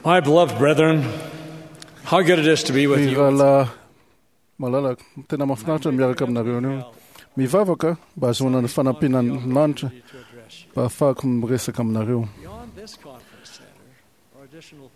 My beloved brethren, how good it is to be with Ry you. rahalahy malala, tena mahafinaritra ny miaraka aminareo anio. Mivavaka mba hahazoana ny fanampiana ny lanitra mba hahafahako miresaka aminareo. Beyond this conference center are additional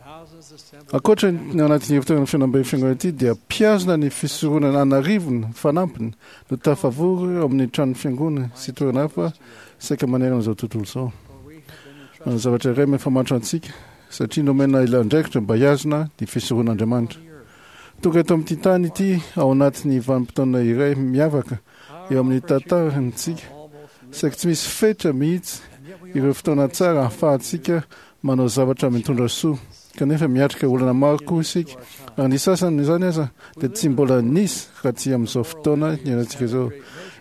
thousands assembled. Ankoatra ny anatin'ny hevitoerana fihaonambe fiangonana ity dia mpihazona ny fisoronana an'arivony fanampiny no tafavory ao amin'ny tranon'ny fiangonana sy toerana hafa saika manerana izao tontolo izao. For we have been entrusted Manana zavatra iray mifamatotra antsika satria nomena ilay andraikitra mba hihazona ny fisoronan'Andriamanitra. on the earth. Tonga eto amin'ity tany ity ao anatin'ny vanim-potoana iray miavaka Our eo amin'ny opportunities tantarantsika are almost saika tsy misy fetra mihitsy and yet we ireo fotoana tsara ahafahantsika manao zavatra mitondra soa kanefa miatrika olana maro koa isika ary ny sasany amin'izany aza dia tsy mbola nisy raha tsy amin'izao fotoana iainantsika izao.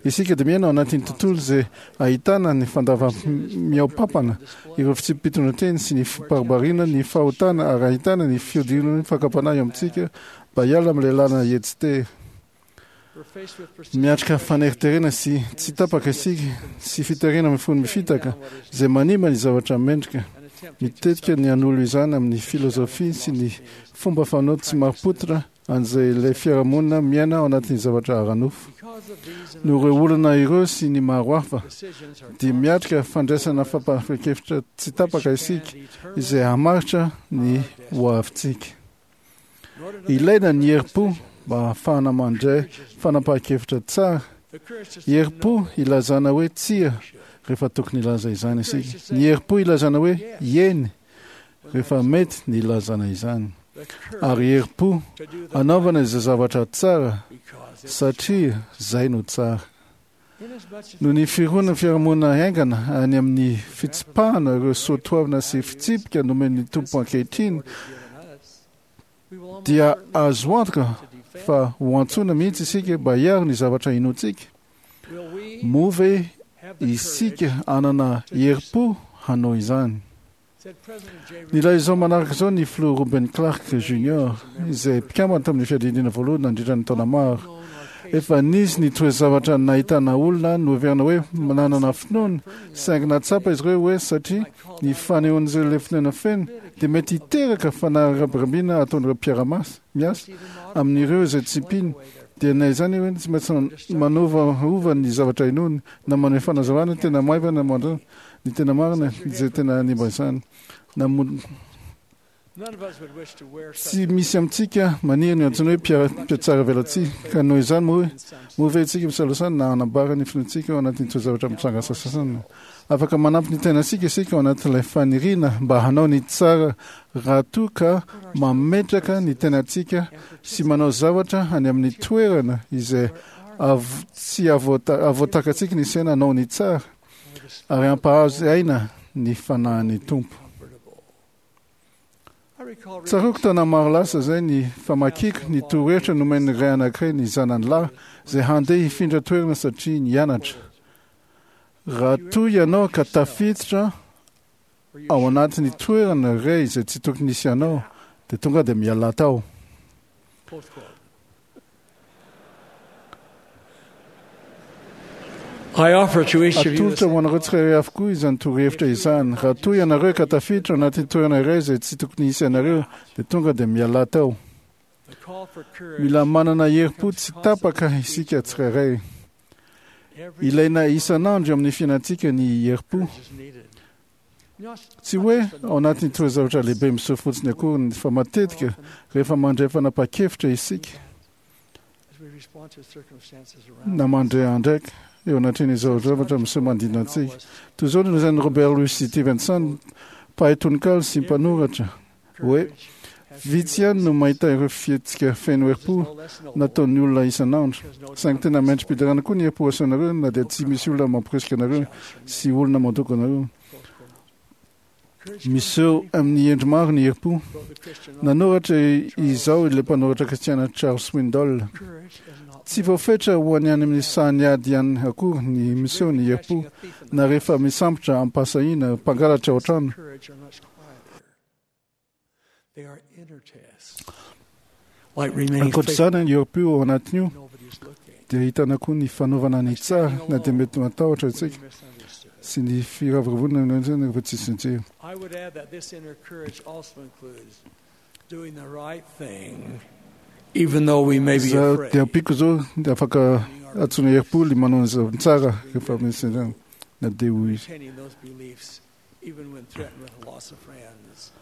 Isika dia miaina ao anatin'ny tontolo izay ahitana ny fandava-mihaom-pampana ireo fitsipi-pitondran-teny sy ny fibaribariana ny fahotana ary ahitana ny fihodinan'ny fakam-panahy eo amintsika mba hiala amin'ilay lalana hetsi-tery. We're faced with persistent Miatrika faneriterena sy tsy tapaka isika sy fiterena mifono mifitaka izay manimba ny zavatra mendrika. and attempting to Mitetika ny hanolo izany amin'ny filozofia sy ny fomba fanao tsy marim-pototra an'izay ilay fiarahamonina miaina ao anatin'ny zavatra ara-nofo. Because of these and Noho ireo olana ireo sy ny maro hafa decisions are dia miatrika fandraisana fampahan-kevitra tsy tapaka isika can determine izay hamaritra ny hoavintsika. in order to make Ilaina ny herim-po mba hahafahana mandray fanapahan-kevitra tsara. the courage to say Herim-po no ilazana hoe tsia rehefa tokony hilaza izany isika. Ny herim-po ilazana hoe eny rehefa mety ny ilazana izany. the courage Ary herim-po to do the hanaovana izay zavatra tsara because it's satria izay no tsara. inasmuch as Noho ny fironan'ny fiarahamonina haingana any amin'ny fitsipahana ireo soatoavina sy fitsipika nomen'ny Tompo ankehitriny given us, we will almost dia certainly azo antoka to defend. fa ho antsoina mihitsy isika mba hiaro ny zavatra inoantsika. Will we Moa ve have the isika courage, hanana herim-po hanao izany? said President J. Nilaza izao manaraka izao ny filoha Ruben Clark Jr. izay mpikambana tamin'ny fiadidiana voalohany nandritra ny taona maro. known our case Efa nisy ny toe-zavatra nahitana olona noheverina hoe nanana finoana, saingy nahatsapa izy ireo hoe satria ny fanehoan'izay ilay finoana feno dia mety hiteraka fanarabirabina ataon'ireo mpiara-miasa miasa even modern amin'ireo izay tsy mpino. Dia na izany hoe tsy maintsy manovaova ny zavatra inoany na manome fanazavana tena maivana mandra ny tena marina izay tena hanimba izany. Na mo- none of us would wish to wear such tsy misy amintsika maniry ny antsoina hoe mpiara- mpiatsara velatsihy ka noho izany moa hoe in some moa ve isika misalosana na hanambara ny finoantsika ao anatin'ny toe-zavatra mitranga sasasany. Afaka manampy ny tenantsika isika ao anatin'ilay faniriana mba hanao ny tsara raha toa ka mametraka ny tenantsika sy manao zavatra any amin'ny toerana izay av- tsy avoata- avoatakantsika ny saina hanao ny tsara ary hampahazo aina ny fanahin'ny Tompo. comfortable. I recall reading Tsaroako taona maro lasa izay ny famakiako ny torohevitra nomen'ny ray anankiray ny zanany lahy izay handeha hifindra toerana satria nianatra. Raha toa ianao ka tafiditra where you ao should anatin'ny not toerana iray izay tsy tokony hisy anao dia tonga dia miala tao. Close quote. I offer to each of you this Atolotra ho anareo tsirairay avokoa izany torohevitra izany. Raha toa ianareo ka tafiditra ao anatin'ny toerana iray izay tsy tokony hisy anareo dia tonga dia miala tao. the call for courage. Mila manana herim-po tsy tapaka isika tsirairay. Every Ilaina isan'andro eo amin'ny fiainantsika ny herim-po. courage is needed. Not- Tsy hoe ao anatin'ny toe-zavatra lehibe miseho fotsiny akory fa matetika rehefa mandray fanapahan-kevitra isika as we respond to circumstances around na mandray andraika eo anatrehan'izao zavatra miseho manodidina antsika. Toy izao no nolazain'i Robert Louis Stevenson, mpahay tononkalo sy mpanoratra, hoe courage has vitsy ihany no mahita ireo fihetsika feno herim-po no less noble nataon'ny olona isan'andro. because no Saingy tena mendri-piderana koa ny herim-po asehonareo na dia tsy misy olona mampirisika anareo sy olona mandoko anareo. Close quote. Courage Miseho amin'ny endry maro ny herim-po. wrote the Christian author, Nanoratra izao ilay mpanoratra kristiana Charles Swindoll. courage is not Tsy voafetra ho any any amin'ny sahan'ny ady ihany akory ny miseho ny herim-po catching a thief in the na rehefa misambotra am-pahasahiana mpangalatra ao an-trano. courage are much quieter. They are inner tests. Like remaining Ankoatra faithful izany ny herim-po ao anatin'io when nobody's looking. dia ahitana koa ny fanaovana ny tsara na dia mety matahotra When isika you're misunderstood. sy ny firavoravoana rehefa tsisy nijery. I would add that this inner courage also includes doing the right thing, even though we may be Za afraid. dia ampiako izao dia afaka antsoina herim-po ny manao ny zavatra tsara rehefa misy izany na dia ho izy. Retaining those beliefs, even when threatened with the loss of friends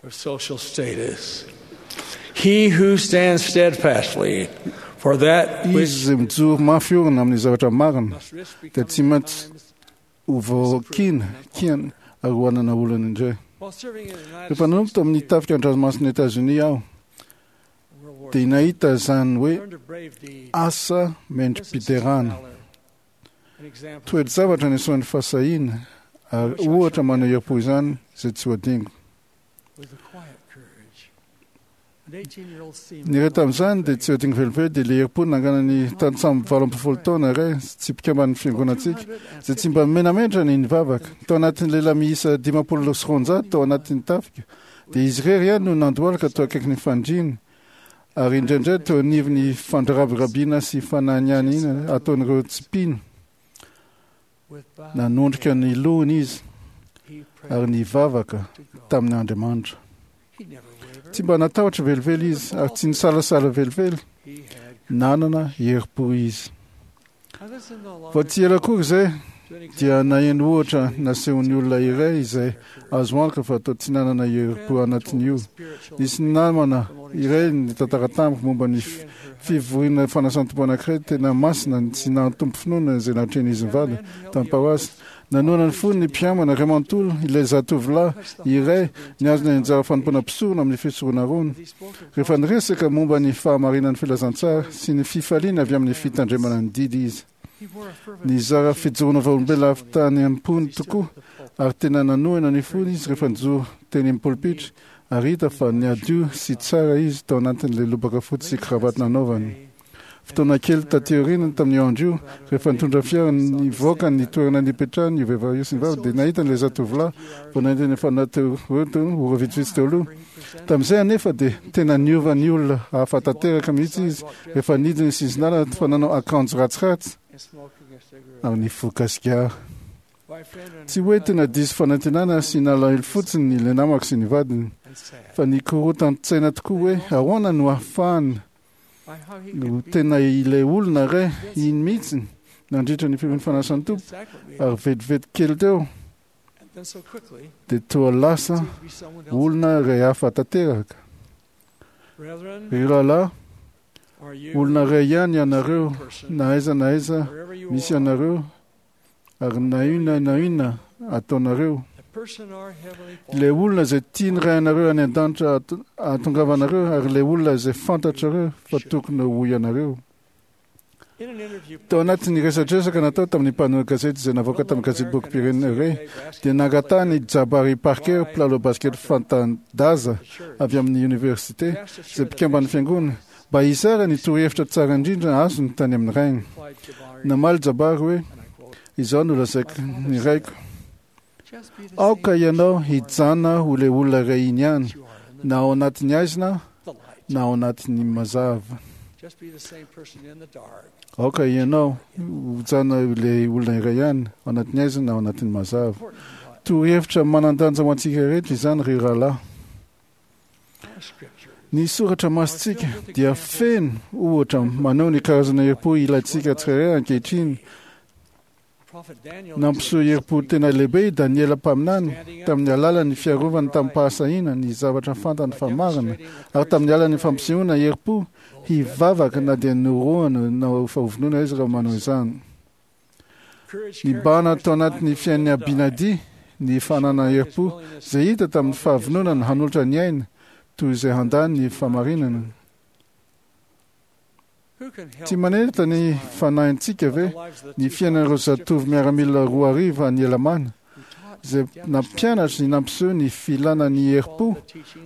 or social status. He who stands steadfastly for that Izy which izay mijoro mafy orina amin'ny zavatra marina must risk dia tsy becoming maintsy times ho voakiana kiana ary ho hanana olana indray. while serving in the United Rehefa nanomboka tao amin'ny States tafika an-dranomasin'i Etazonia aho in World War dia II, nahita izany hoe learned of brave deeds, asa instances of mendri-piderana. valor, and examples Toe-javatra nisehoan'ny fahasahiana ary ohatra maneho herim-po izany izay tsy ho adingo. with a quiet courage. An 18-year-old seaman Ny iray tamin'izany dia tsy adingo velively dia ilay herim-po nanganan'ny tantsambo 18 taona iray tsy mpikamban'ny fiangonantsika izay tsy mba menamentra ny nivavaka. Tao anatin'ny lehilahy miisa 250 tao anatin'ny tafika dia izy irery ihany no nandohalika teo akaikin'ny fandriana ary indraindray teo anivon'ny fandrabirabiana sy fananianiana ataon'ireo tsy mpino. with bowed Nanondrika head, ny lohany izy he prayed ary nivavaka to God. tamin'Andriamanitra. He never wavered. Tsy mba natahotra velively izy ary tsy nisalasala velively. He had Nanana herim-po izy. I listened no longer Vao tsy ela akory izay to an dia example naheno ohatra nasehon'ny olona iray izay azo antoka fa toa tsy nanana herim-po anatin'io. spiritual Nisy namana iray nitantara tamiko momba ny she and her fivoriana fanasan'ny-tompo anankiray tena masina tsy nahatompo finoana izay natrehin'izy mivady tamin'ny paroasy. Nanohana ny fony ny mpiambana iray manontolo ilay zatovolahy iray nihazona ny anjara fanompoana mpisorona amin'ny fisorona rony. he spoke of Rehefa niresaka momba ny fahamarinan'ny filazantsara sy ny fifaliana avy amin'ny fitandremana ny didy izy. he wore a fervent Nizara fijoroana vavolombelona avy tany am-pony he stood tokoa at the pulpit. ary tena nanohina ny fony izy rehefa nijoro teny amin'ny polipitra ary hita fa niadio sy tsara izy tao anatin'ilay lobaka fotsy sy kravaty nanaovany. Fotoana kely taty aoriana tamin'io andro io, rehefa nitondra fiara nivoaka ny toerana nipetrahany io vehivavy io sy ny vavy dia nahita an'ilay zatovolahy vao nahita ny efa teo ora vitsivitsy teo aloha. Tamin'izay anefa dia tena niova ny olona hafa tanteraka mihitsy izy rehefa nidina sy izy nalana fa nanao akanjo ratsiratsy and smoking a cigarette. ary nifoka sigara. My friend and Tsy her hoe tena husband diso fanantenana sy nalahelo fotsiny ilay namako sy ny vadiny and sad fa nikorotan-tsaina tokoa hoe ahoana no ahafahana by how he no could be tena ilay olona iray iny mihitsy nandritra ny fivorian'ny fanasan'ny Tompo sacrament meeting, ary vetivety kely teo and then so quickly dia toa lasa seemed to be someone else. olona iray hafa tanteraka. Brethren, Ry rahalahy, are you olona iray ihany ianareo person, na aiza na aiza wherever you misy are, anareo ary na inona na inona ataonareo. the person our heavenly Ilay Father olona izay tiany ray anareo any an-danitra ahatongavanareo ary ilay olona izay fantatrareo fa tokony ho ianareo. in an interview Tao anatin'ny resadresaka natao tamin'ny mpanao gazety izay navoaka tamin'ny gazety-bokim-pirenena iray dia nangatahany Jabari Parker, mpilalao basket fantan-daza avy amin'ny université izay mpikamban'ny fiangonana mba hizara ny torohevitra tsara indrindra azony tany amin'ny rainy. replied Jabari, Namaly Jabari hoe and I quote, izao no lazaiko ny raiko. just be the Aoka same ianao person you are hijana ho ilay olona iray iny ihany that you are in the, na ao anatin'ny haizina the light. na ao anatin'ny mazava. Just be the same person in the dark. Aoka ianao hijana ilay olona iray ihany ao anatin'ny haizina na ao anatin'ny mazava. Important what Torohevitra manan-danja ho antsika rehetra izany ry rahalahy. our scripture Ny soratra masintsika dia feno ohatra maneho ny karazana herim-po ilaintsika tsirairay ankehitriny. Prophet Daniel Nampiseho herim-po tena lehibe i Daniela mpaminany tamin'ny alalan'ny fiarovany tamin'ny-pahasahiana ny zavatra fantany fa marina ary tamin'ny alalan'ny fampisehoana herim-po hivavaka na dia norohana na fahovonoana izy raha manao izany. Nibahana tao anatin'ny fiainan'i Abinadi ny fananana herim-po izay hita tamin'ny fahavononana hanolotra ny aina toy izay handany ny fahamarinana. Tsy manenitra ny fanahintsika ve ny fiainan'ireo zatovo miaramila 2000 any Elamana izay nampianatra ny nampiseho ny filana ny herim-po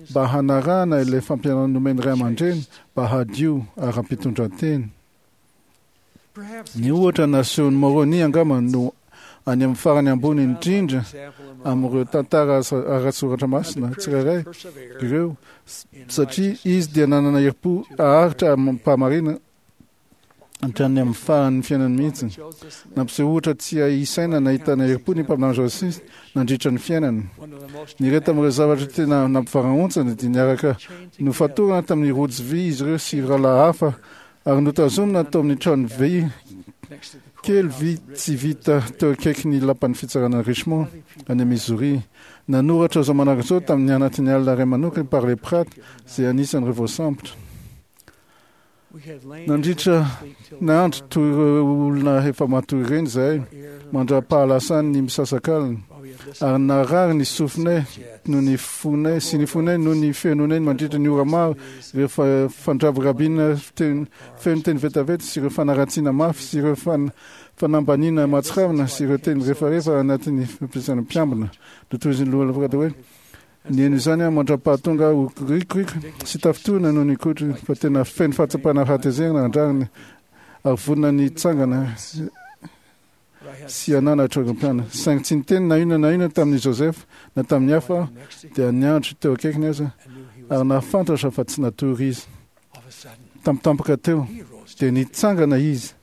mba hanarahana ilay fampianarana nomen'ny ray aman-dreny mba hadio ara-pitondran-tena. Ny ohatra nasehon'i Moroni angamba no any amin'ny farany ambony indrindra amin'ireo tantara ara-tsoratra masina tsirairay ireo satria izy dia nanana herim-po haharitra amim-pahamarinana. Hatrany amin'ny faran'ny fiainany mihitsy. Nampiseho ohatra tsy hay isaina nahitana herim-po ny mpaminany Joseph nandritra ny fiainany. Ny iray tamin'ireo zavatra tena nampivarahontsana dia niaraka nofatorana tamin'ny rojo vy izy ireo sy rahalahy hafa ary notazomina tao amin'ny trano vy kely vy tsy vita teo akaikin'ny lapan'ny fitsarana Richmond any Missouri. Nanoratra izao manaraka izao tamin'ny anatin'ny alina iray manokana i Parley Pratt izay anisan'ireo voasambotra. Nandritra ny andro toy ireo olona efa matory ireny izahay, mandra-pahalasany ny misasakalina, ary narary ny sofinay noho ny fonay sy ny fonay noho ny fenonay mandritra ny ora maro ireo fandrabirabiana feno teny vetaveta sy ireo fanaratsiana mafy sy ireo fanambaniana mahatsiravina sy ireo teny refarefa anatin'ny fampiasana mpiambina. Notohizin'ny loha hoe Nihaino izany aho mandra-pahatonga aho ho rikoriko sy tafintohina noho ny kotro, fa tena feno fahatsapana hatezerana an-drariny ary vonona ny hitsangana sy hananatra ireo mpianany. Saingy tsy niteny na inona na inona tamin'i Joseph na tamin'ny hafa aho, dia niandry teo akaikiny aza, ary nahafantatra fa tsy natory izy. Tampotampoka teo, dia nitsangana izy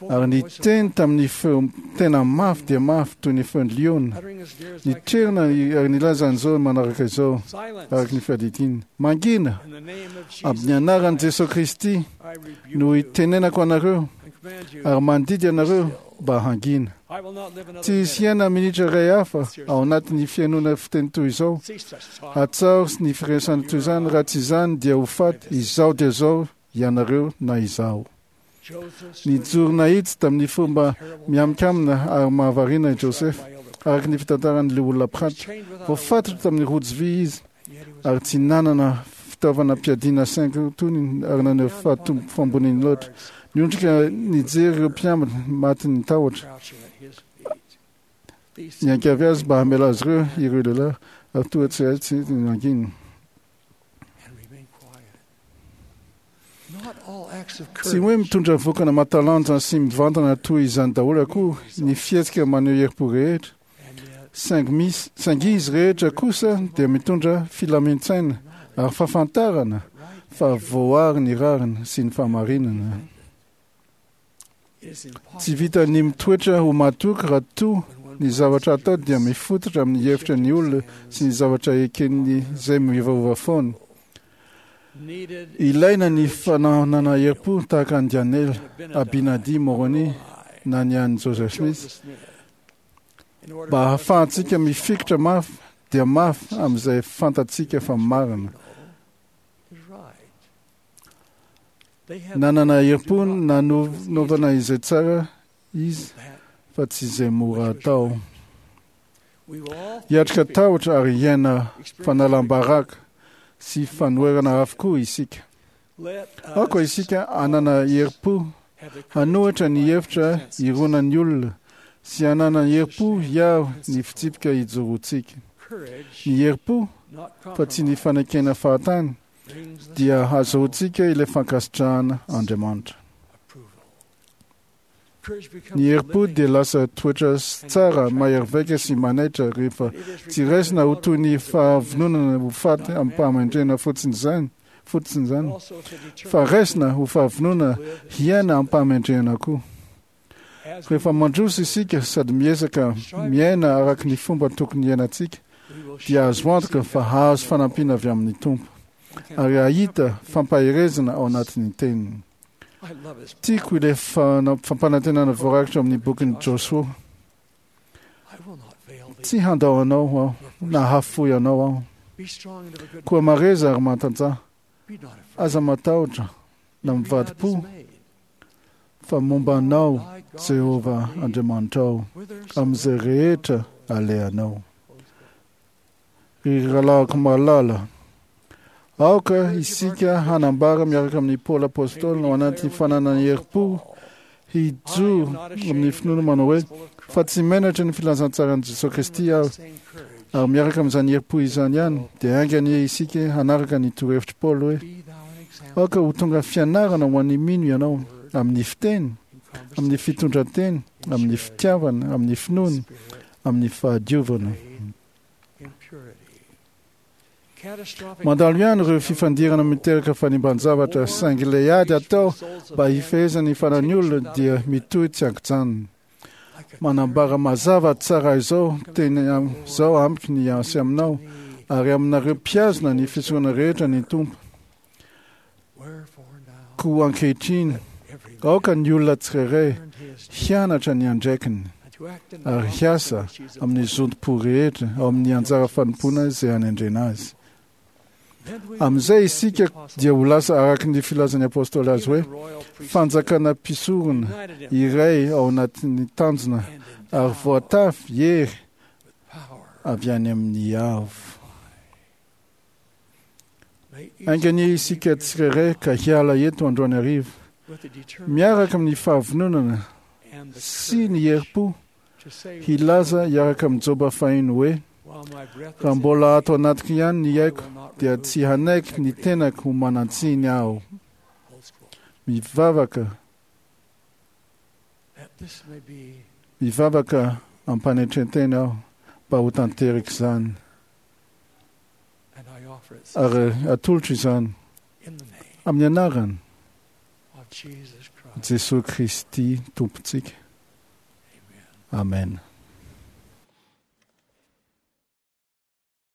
ary niteny tamin'ny feo tena mafy dia mafy toy ny feon'ny liona. Nitrerona ary nilaza an'izao manaraka izao, araka ny fiadidiany, Mangina! Amin'ny anaran'i Jesoa Kristy no itenenako anareo ary mandidy anareo mba hangina. Tsy hisy hiaina minitra iray hafa ao anatin'ny fihainoana fiteny toy izao. Hatsaho ny firesahana toy izany, raha tsy izany dia ho faty izao dia izao ianareo na izaho. Nijoro nahitsy tamin'ny fomba mihaminkamina ary mahavariana i Joseph, araka ny fitantaran'ilay olona Pratt. Voafatotra tamin'ny rojo vy izy ary tsy nanana fitaovana mpiadiana saingy tony ary naneho fahamboniany loatra. Niondrika nijery ireo mpiambina matin'ny tahotra. Niangavy azy mba hamela azy ireo ireo lehilahy ary toa tsy hay tsy nangina. Tsy hoe mitondra vokana mahatalanjona sy mivantana toy izany daholo akory ny fihetsika maneho herim-po rehetra, saingy misy, saingy izy rehetra kosa dia mitondra filamin-tsaina ary fahafantarana fa voary ny rariny sy ny fahamarinana. Tsy vitan'ny mitoetra ho mahatoky raha toa ny zavatra atao dia mifototra amin'ny hevitra ny olona sy ny zavatra eken'ny izay miovaova foana. Ilaina ny fananana herim-po tahaka an'i Daniela, Abinadi, Moroni na ny an'i Joseph Smith mba hahafahantsika mifikitra mafy dia mafy amin'izay fantatsika fa marina. Nanana herim-po nanaovana izay tsara izy fa tsy izay mora atao. Hiatrika tahotra ary hiaina fanalam-baraka sy fanoherana avokoa isika. Aoka isika hanana herim-po hanohitra ny hevitra ironan'ny olona sy hanana herim-po hiaro ny fitsipika ijoroantsika. Ny herim-po fa tsy ny fanekena fahatany dia hahazoantsika ilay fankasitrahana Andriamanitra. Ny herim-po dia lasa toetra tsara mahery vaika sy manaitra rehefa tsy raisina ho toy ny fahavononana ho faty amim-pahamendrehana fotsiny izany, fotsiny izany, fa raisina ho fahavononana hiaina amim-pahamendrehana koa. Rehefa mandroso isika sady miezaka miaina araka ny fomba tokony hiainantsika, dia azo antoka fa hahazo fanampiana avy amin'ny Tompo, ary hahita fampaherezana ao anatin'ny Teniny. Tiako ilay fampanantenana voarakitra ao amin'ny bokin'i Josoa. Tsy handao anao aho, na hahafoy anao aho. Koa mareza ary matanjaha. Aza matahotra na mivadi-po. Fa momba anao Jehovah Andriamanitrao amin'izay rehetra alehanao. Ry rahalahiko malala, aoka isika hanambara miaraka amin'i Paoly Apostoly ao anatin'ny fananana herim-po hijoro amin'ny finoana manao hoe, Fa tsy menatra ny filazantsaran'i Jesoa Kristy aho. Ary miaraka amin'izany herim-po izany ihany, dia hainga anie isika hanaraka ny torohevitr'i Paoly hoe, Aoka ho tonga fianarana ho an'ny mino ianao, amin'ny fiteny, amin'ny fitondran-teny, amin'ny fitiavana, amin'ny finoana, amin'ny fahadiovana. Mandalo ihany ireo fifandirana miteraka fanimban-javatra, saingy ilay ady atao mba hifehezana ny fanan'ny olona dia mitohy tsy an-kijanona. Manambara mazava tsara izao teny izao amiko ny sy aminao ary aminareo mpihazona ny fisoronana rehetra ny Tompo. Koa ankehitriny, aoka ny olona tsirairay hianatra ny andraikiny ary hiasa amin'ny zotom-po rehetra ao amin'ny anjara fanompoana izay anendrena azy. Amin'izay isika dia ho lasa araka ny filazan'ny apôstôly azy hoe fanjakana mpisorona iray ao anatin'ny tanjona ary voatafy hery avy any amin'ny avo. Ainga anie isika tsirairay ka hiala eto androany hariva miaraka amin'ny fahavononana sy ny herim-po hilaza hiaraka amin'i Joba fahiny hoe, Raha mbola ato anatiko ihany ny aiko, dia tsy hanaiky ny tenako ho manan-tsiny aho. Mivavaka, mivavaka am-panetren-tena aho mba ho tanteraka izany. Ary atolotro izany amin'ny anarany Jesoa Kristy Tompontsika. Amen.